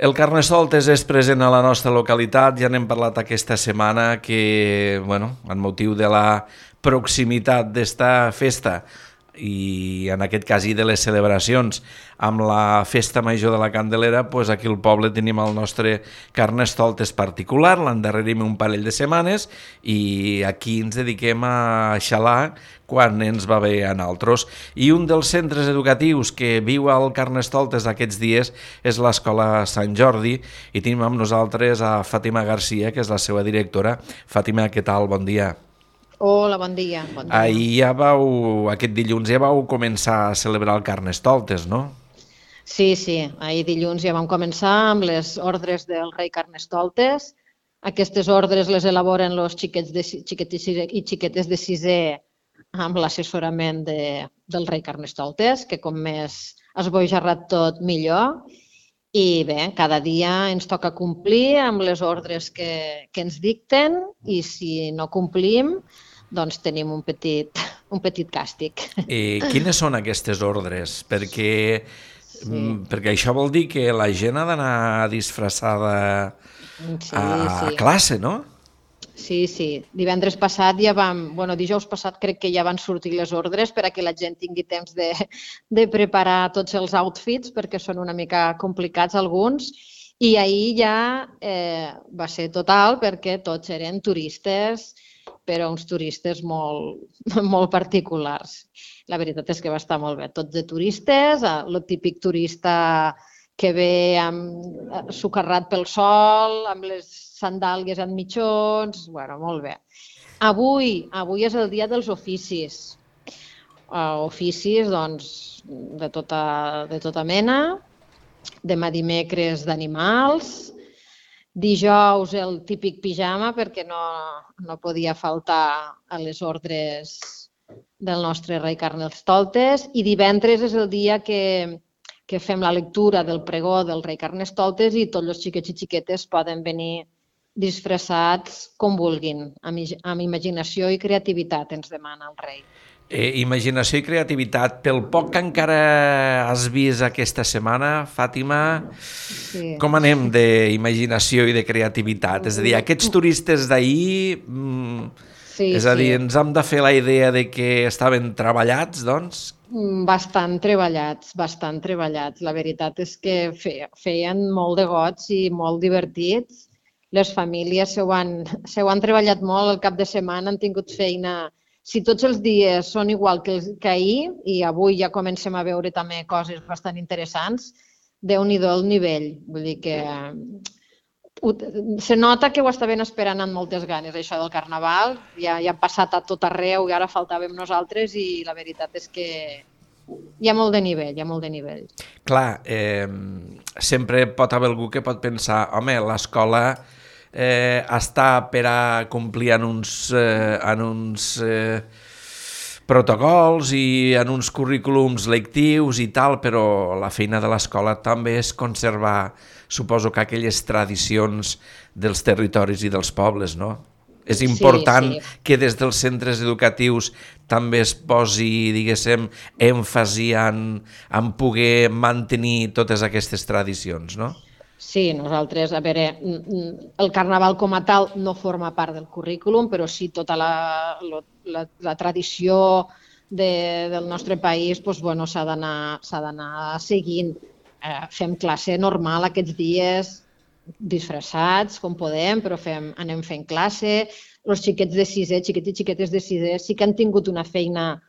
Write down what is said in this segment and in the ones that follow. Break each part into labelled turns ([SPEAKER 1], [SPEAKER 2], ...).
[SPEAKER 1] El Carnestoltes és present a la nostra localitat, ja n'hem parlat aquesta setmana que, en motiu de la proximitat d'esta festa i en aquest cas i de les celebracions amb la festa major de la Candelera, doncs aquí al poble tenim el nostre Carnestoltes particular, l'endarrerim un parell de setmanes i aquí ens dediquem a xalar quan ens va bé a nosaltres. I un dels centres educatius que viu al Carnestoltes aquests dies és l'Escola Sant Jordi i tenim amb nosaltres a Fàtima Garcia, que és la seva directora. Fàtima, què tal? Bon dia.
[SPEAKER 2] Hola, bon dia.
[SPEAKER 1] Aquest dilluns ja vau començar a celebrar el Carnestoltes, no?
[SPEAKER 2] Sí, ahir dilluns ja vam començar amb les ordres del rei Carnestoltes. Aquestes ordres les elaboren els xiquets i xiquetes de sisè amb l'assessorament del rei Carnestoltes, que com més esbojarrat tot, millor. I bé, cada dia ens toca complir amb les ordres que ens dicten i si no complim, doncs tenim un petit càstig.
[SPEAKER 1] Quines són aquestes ordres? Perquè això vol dir que la gent ha d'anar disfressada a classe, no?
[SPEAKER 2] Sí. Divendres passat dijous passat crec que ja van sortir les ordres per a que la gent tingui temps de preparar tots els outfits perquè són una mica complicats alguns i ahir ja va ser total perquè tots eren turistes, però uns turistes molt particulars. La veritat és que va estar molt bé. Tots de turistes, el típic turista que ve socarrat pel sol, amb les sandàlies en mitjons, molt bé. Avui és el dia dels oficis. Oficis, doncs, de tota mena. Demà dimecres d'animals. Dijous el típic pijama perquè no podia faltar a les ordres del nostre rei Carnestoltes i divendres és el dia que fem la lectura del pregó del rei Carnestoltes i tots els xiquets i xiquetes poden venir disfressats com vulguin, amb imaginació i creativitat ens demana el rei.
[SPEAKER 1] Imaginació i creativitat. Pel poc que encara has vist aquesta setmana, Fàtima, com anem d'imaginació i de creativitat? És a dir, aquests turistes d'ahir, ens hem de fer la idea de que estaven treballats, doncs?
[SPEAKER 2] Bastant treballats. La veritat és que feien molt de goig i molt divertits. Les famílies s'ho han treballat molt el cap de setmana, han tingut feina. Si tots els dies són igual que ahir, i avui ja comencem a veure també coses bastant interessants, Déu-n'hi-do el nivell. Vull dir que se nota que ho estaven esperant amb moltes ganes, això del Carnaval. Ja ha passat a tot arreu i ara faltàvem nosaltres i la veritat és que hi ha molt de nivell,
[SPEAKER 1] Clar, sempre pot haver algú que pot pensar, home, l'escola està per a complir en uns protocols i en uns currículums lectius i tal, però la feina de l'escola també és conservar, suposo que aquelles tradicions dels territoris i dels pobles, no? És important que des dels centres educatius també es posi, diguéssim, èmfasi en poder mantenir totes aquestes tradicions, no?
[SPEAKER 2] Sí, nosaltres, el Carnaval com a tal no forma part del currículum, però sí tota la tradició del nostre país s'ha d'anar seguint. Fem classe normal aquests dies, disfressats com podem, però anem fent classe. Els xiquets de sisè, xiquets i xiquetes de sisè sí que han tingut una feina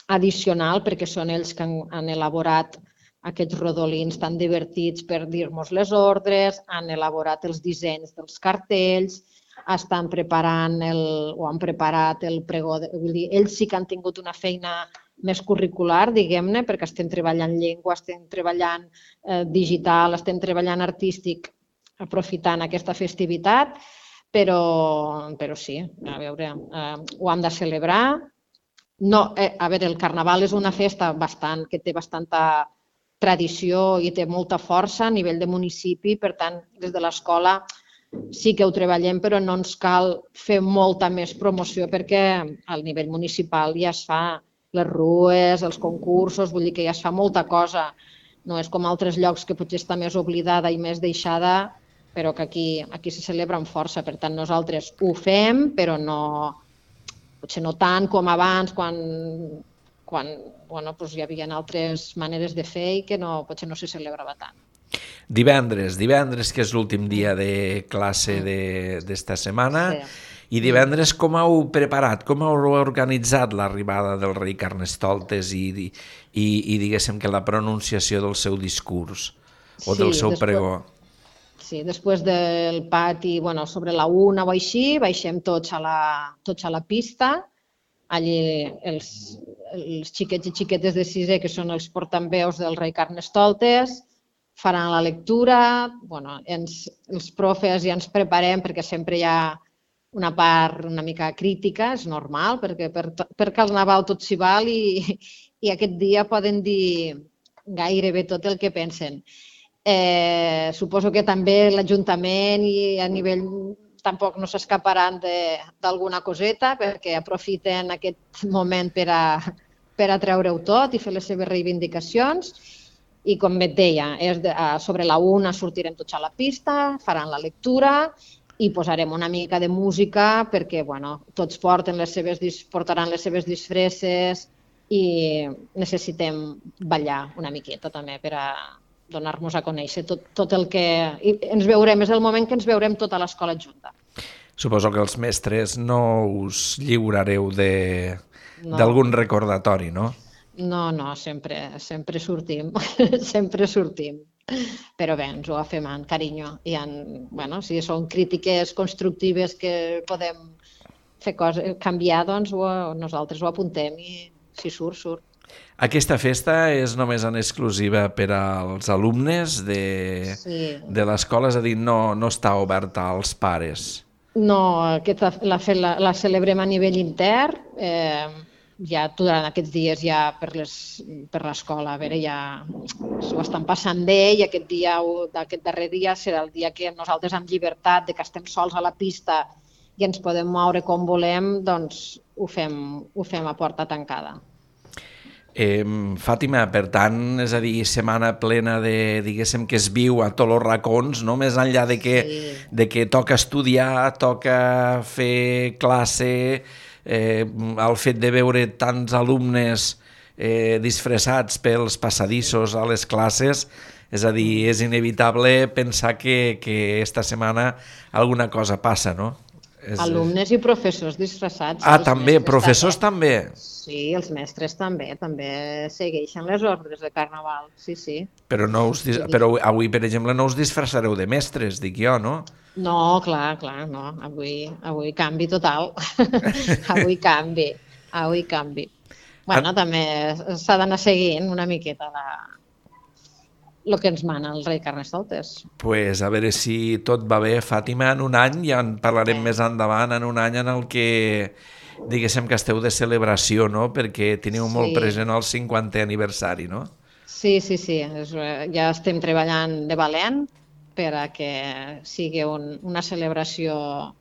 [SPEAKER 2] addicional perquè són ells que han elaborat aquests rodolins tan divertits per dir-nos les ordres, han elaborat els dissenys dels cartells, estan preparant o han preparat el pregó. Vull dir, ells sí que han tingut una feina més curricular, diguem-ne, perquè estem treballant llengua, estem treballant digital, estem treballant artístic, aprofitant aquesta festivitat, però sí, a veure, ho hem de celebrar. El Carnaval és una festa que té bastanta tradició i té molta força a nivell de municipi, per tant, des de l'escola sí que ho treballem, però no ens cal fer molta més promoció perquè al nivell municipal ja es fa les rues, els concursos, vull dir que ja es fa molta cosa. No és com altres llocs que potser està més oblidada i més deixada, però que aquí se celebra amb força. Per tant, nosaltres ho fem, però potser no tant com abans, quan doncs hi havia altres maneres de fer i que potser no se celebrava tant.
[SPEAKER 1] Divendres, que és l'últim dia de classe d'esta setmana, i divendres com heu preparat, com heu organitzat l'arribada del rei Carnestoltes i diguéssim que la pronunciació del seu discurs o del seu pregó?
[SPEAKER 2] Sí, després del pati, sobre la 1 o així, baixem tots a la pista. Allí els xiquets i xiquetes de sisè, que són els portaveus del rei Carnestoltes, faran la lectura. Els profes ja ens preparem perquè sempre hi ha una part una mica crítica, és normal, perquè per Carnaval tot s'hi val i aquest dia poden dir gairebé tot el que pensen. Suposo que també l'Ajuntament i a nivell tampoc no s'escaparan d'alguna coseta, perquè aprofiten aquest moment per a treure-ho tot i fer les seves reivindicacions. I com et deia, sobre la 1 sortirem tots a la pista, faran la lectura i posarem una mica de música perquè tots portaran les seves disfresses i necessitem ballar una miqueta també per a donar-nos a conèixer tot el que ens veurem. És el moment que ens veurem tota l'escola junta.
[SPEAKER 1] Suposo que els mestres no us lliurareu d'algun recordatori, no?
[SPEAKER 2] No, sempre sortim, sempre sortim. Però bé, ens ho agafem amb carinyo. Si són crítiques constructives que podem fer canviar, doncs nosaltres ho apuntem i si surt.
[SPEAKER 1] Aquesta festa és només en exclusiva per als alumnes de l'escola, és a dir, no està oberta als pares?
[SPEAKER 2] No, la celebrem a nivell intern. Ja durant aquests dies ja per l'escola, a veure, ja s'ho estan passant bé i aquest darrer dia serà el dia que nosaltres amb llibertat, que estem sols a la pista i ens podem moure com volem, doncs ho fem a porta tancada.
[SPEAKER 1] Fàtima, per tant, és a dir, setmana plena diguéssim, que es viu a tots els racons, no? Més enllà de que toca estudiar, toca fer classe, el fet de veure tants alumnes disfressats pels passadissos a les classes, és a dir, és inevitable pensar que esta setmana alguna cosa passa, no?
[SPEAKER 2] Alumnes i professors disfressats.
[SPEAKER 1] També, professors també?
[SPEAKER 2] Sí, els mestres també segueixen les ordres de Carnaval, sí.
[SPEAKER 1] Però avui, per exemple, no us disfressareu de mestres, dic jo, no?
[SPEAKER 2] No, clar, no. Avui canvi total. Avui canvi. També s'ha d'anar seguint una miqueta el que ens mana el rei Carnestoltes.
[SPEAKER 1] Pues a veure si tot va bé, Fàtima, en un any, ja en parlarem més endavant, en un any en el que diguéssim que esteu de celebració, no? Perquè teniu molt present el 50è aniversari, no?
[SPEAKER 2] Sí. Ja estem treballant de valent per a que sigui una celebració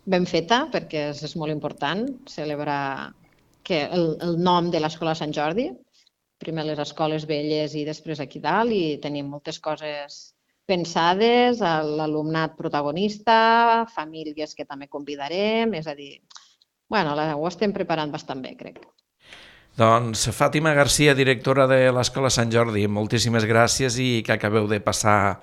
[SPEAKER 2] ben feta, perquè és molt important celebrar el nom de l'Escola Sant Jordi, primer les escoles velles i després aquí dalt, i tenim moltes coses pensades, l'alumnat protagonista, famílies que també convidarem, és a dir, ho estem preparant bastant bé, crec.
[SPEAKER 1] Doncs Fàtima Garcia, directora de l'Escola Sant Jordi, moltíssimes gràcies i que acabeu de passar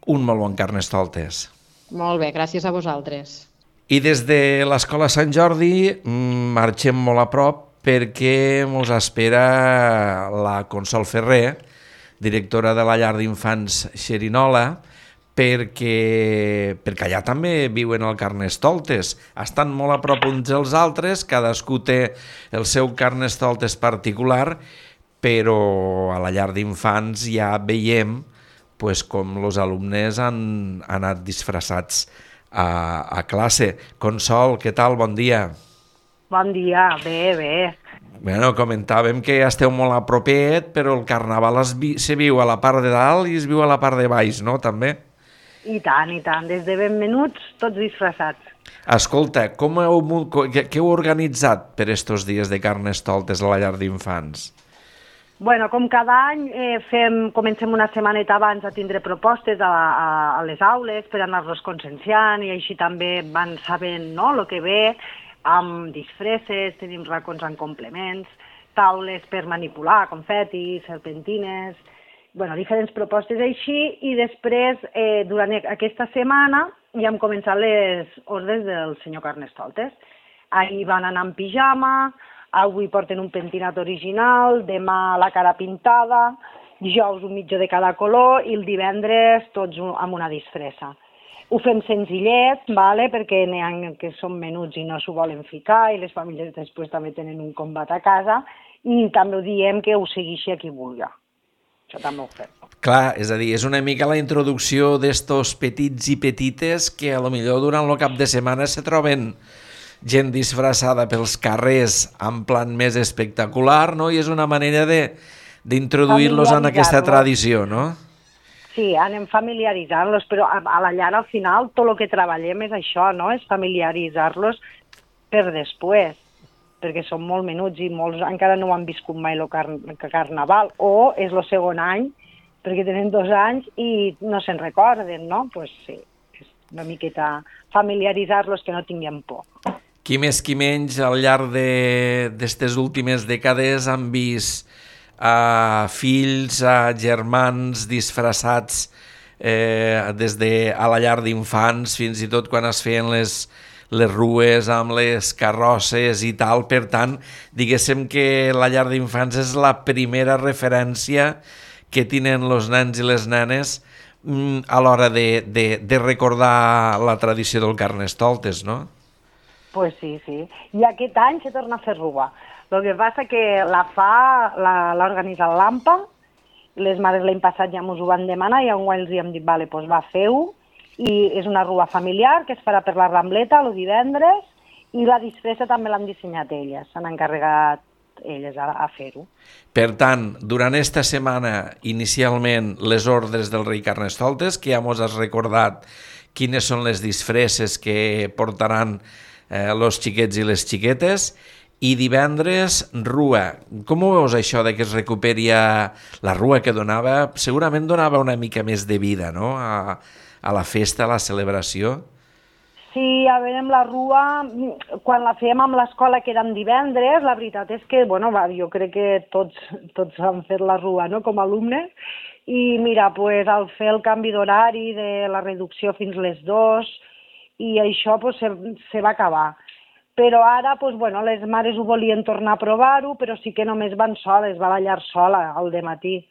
[SPEAKER 1] un molt bon Carnestoltes.
[SPEAKER 2] Molt bé, gràcies a vosaltres.
[SPEAKER 1] I des de l'Escola Sant Jordi marxem molt a prop perquè ens espera la Consol Ferrer, directora de la llar d'infants Xerinola, perquè allà també viuen el Carnestoltes. Estan molt a prop uns dels altres, cadascú té el seu Carnestoltes particular, però a la llar d'infants ja veiem com els alumnes han anat disfressats a classe. Consol, què tal? Bon dia.
[SPEAKER 3] Bon dia, bé.
[SPEAKER 1] Comentàvem que esteu molt a propet, però el Carnaval se viu a la part de dalt i es viu a la part de baix, no? També?
[SPEAKER 3] I tant, des de ben menuts, tots disfressats.
[SPEAKER 1] Escolta, què heu organitzat per estos dies de Carnestoltes a la llar d'infants?
[SPEAKER 3] Bueno, com cada any comencem una setmaneta abans a tindre propostes a les aules per anar-los conscienciant i així també van sabent, no?, el que ve, amb disfresses, tenim racons amb complements, taules per manipular, confetis, serpentines, bueno, diferents propostes així, i després, durant aquesta setmana, ja hem començat les ordres del senyor Carnestoltes. Ahir van anar en pijama, avui porten un pentinat original, demà la cara pintada, dijous un mitjó de cada color i el divendres tots amb una disfressa. Ho fem senzillet, vale? Perquè n'hi ha que són menuts i no s'ho volen ficar i les famílies després també tenen un combat a casa i també ho diem que ho segueixi a qui vulgui. Això també ho fem.
[SPEAKER 1] Clar, és a dir, és una mica la introducció d'estos petits i petites que a lo millor durant el cap de setmana se troben gent disfressada pels carrers en plan més espectacular, no? I és una manera d'introduir-los en aquesta tradició, no?
[SPEAKER 3] Sí, anem familiaritzant-los, però a la llar al final tot el que treballem és això, no? És familiaritzar-los per després, perquè són molt menuts i molts encara no ho han viscut mai el carnaval, o és el segon any, perquè tenen 2 anys i no se'n recorden, no? Doncs sí, és una miqueta familiaritzar-los que no tinguem por.
[SPEAKER 1] Qui més qui menys al llarg d'aquestes últimes dècades han vist fills, germans disfressats des de a la llar d'infants, fins i tot quan es feien les rues amb les carrosses i tal. Per tant, diguéssim que la llar d'infants és la primera referència que tenen els nens i les nenes a l'hora de recordar la tradició del Carnestoltes, no?
[SPEAKER 3] Pues sí, sí. I aquest any se torna a fer rua. El que passa que l'ha organitzat l'AMPA, les mares l'any passat ja ens ho van demanar i enguany els hem dit, vale, doncs va, feu-ho, i és una rua familiar que es farà per la Rambleta el divendres i la disfressa també l'han dissenyat elles, s'han encarregat elles a fer-ho.
[SPEAKER 1] Per tant, durant esta setmana, inicialment, les ordres del rei Carnestoltes, que ja mos has recordat quines són les disfresses que portaran els xiquets i les xiquetes, i divendres, rua. Com ho veus això de que es recuperi la rua que donava? Segurament donava una mica més de vida, no?, a la festa, a la celebració.
[SPEAKER 3] Sí, a veure, amb la rua, quan la fèiem amb l'escola, que eren divendres, la veritat és que, bueno, jo crec que tots han fet la rua, no?, com a alumnes, i mira, pues, al fer el canvi d'horari de la reducció fins les 2, i això pues, se va acabar. Però ara, pues, bueno, les mares ho volien tornar a provar-ho, però sí que només van soles, va la llar sola al dematí,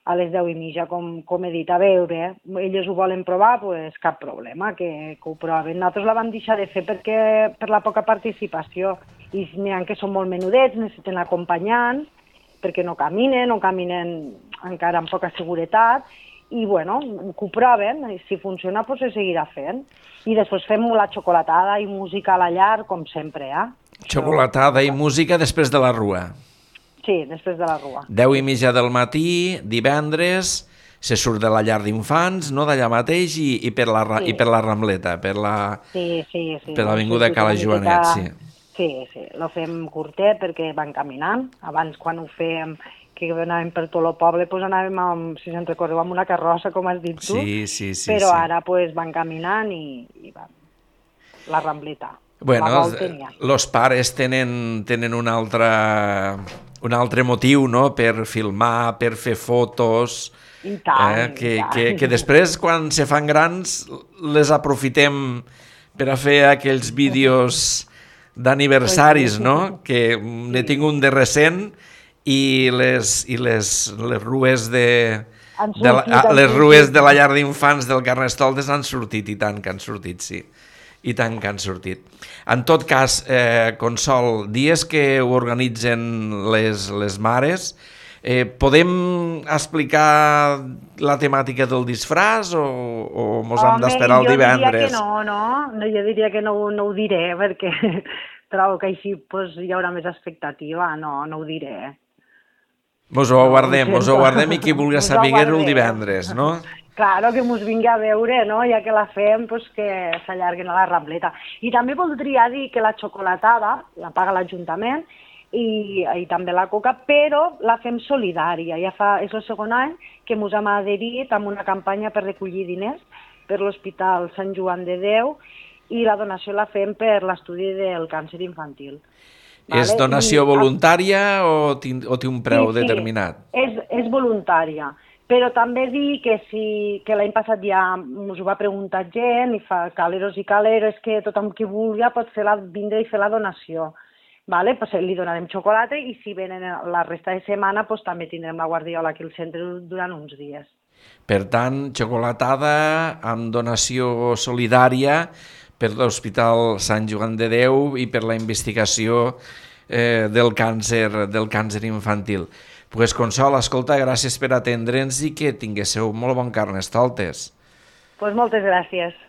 [SPEAKER 3] a les 10:30, com he dit. A veure, elles ho volen provar, pues, cap problema, que ho proven. Nosaltres la vam deixar de fer per la poca participació, i n'hi ha que són molt menudets, necessiten acompanyants, perquè no caminen encara amb poca seguretat, i bueno, que ho proven, i si funciona pues se seguirà fent. I després fem la xocolatada i música a la llar, com sempre.
[SPEAKER 1] Xocolatada i música després de la rua.
[SPEAKER 3] Sí, després de la rua.
[SPEAKER 1] 10:30 del matí, divendres, se surt de la llar d'infants, no, d'allà mateix, i per la Rambleta, per l'avinguda Cala Joanet, sí.
[SPEAKER 3] Sí, lo fem curtet perquè van caminant. Abans, quan ho fèiem, que anàvem per tot el poble, doncs anàvem, si se'n recordeu, amb una carrossa, com has dit tu,
[SPEAKER 1] sí,
[SPEAKER 3] però ara van caminant i van. La Rambleta.
[SPEAKER 1] Bueno, els pares tenen un altre motiu, no?, per filmar, per fer fotos,
[SPEAKER 3] i tant,
[SPEAKER 1] que després, quan se fan grans, les aprofitem per a fer aquells vídeos d'aniversaris, no?, que n'he tingut un de recent, i les rues de la llar d'infants del Carnestoltes han sortit, i tant que han sortit, sí. I tant que han sortit. En tot cas, Consol, dies que ho organitzen les mares, podem explicar la temàtica del disfraç o mos hem d'esperar el divendres?
[SPEAKER 3] Jo diria que no ho diré, perquè trobo que així hi haurà més expectativa, no ho diré.
[SPEAKER 1] Mos ho guardem i qui vulgui saber-ho el divendres, no?
[SPEAKER 3] Claro, que mos vingui a veure, no?, ja que la fem, que s'allarguen a la Rambleta. I també voldria dir que la xocolatada la paga l'Ajuntament i també la coca, però la fem solidària. És el segon any que ens hem adherit amb una campanya per recollir diners per l'Hospital Sant Joan de Déu i la donació la fem per l'estudi del càncer infantil.
[SPEAKER 1] És donació voluntària o té un preu determinat?
[SPEAKER 3] És voluntària, però també dir que l'any passat ja us ho va preguntar gent i fa caleros i caleros que tothom qui vulgui pot vindre i fer la donació. Pues li donarem xocolata i si venen la resta de setmana també tindrem la guardiola aquí al centre durant uns dies.
[SPEAKER 1] Per tant, xocolatada amb donació solidària per l'Hospital Sant Joan de Déu i per la investigació del càncer infantil. Pues Consol, escolta, gràcies per atendre'ns i que tinguéssiu molt bon Carnestoltes.
[SPEAKER 3] Pues moltes gràcies.